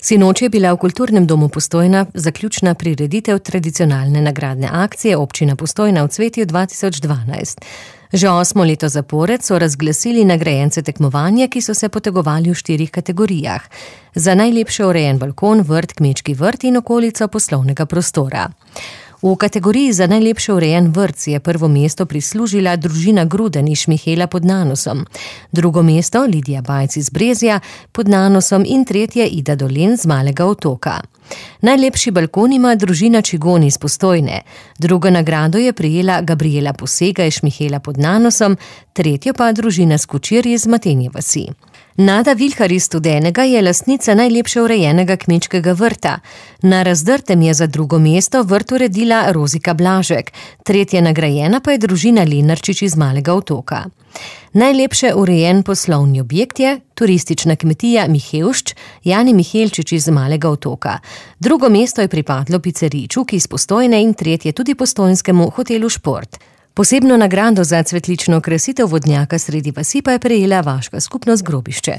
Sinoč je bila v Kulturnem domu Postojna zaključna prireditev tradicionalne nagradne akcije Občina Postojna v cvetju 2012. Že 8. leto zapored so razglasili nagrajence tekmovanja, ki so se potegovali v 4 kategorijah. Za najlepše urejen balkon, vrt, kmečki vrt in okolico poslovnega prostora. V kategoriji za najlepše urejen vrt si je prvo mesto prislužila družina Gruden iz Šmihela pod Nanosom, drugo mesto Lidija Bajc iz Brezja pod Nanosom in tretje Ida Dolen z Malega Otoka. Najlepši balkon ima družina Čigon iz Postojne, drugo nagrado je prejela Gabriela Posega iz Šmihela pod Nanosom, tretjo pa družina Skočir iz Matenje vasi. Nada Vilhar iz Studenega je lastnica najlepše urejenega kmečkega vrta. Na Razdrtem je za drugo mesto vrt uredila Rozika Blažek, tretje nagrajena pa je družina Lenarčič iz Malega Otoka. Najlepše urejen poslovni objekt je turistična kmetija Mihevšč, Jani Mihelčič iz Malega Otoka. Drugo mesto je pripadlo piceriji Čuk iz Postojne in tretje tudi postojnskemu hotelu Šport. Posebno nagrado za cvetlično okrasitev vodnjaka sredi vasi pa je prejela vaška skupnost Grobišče.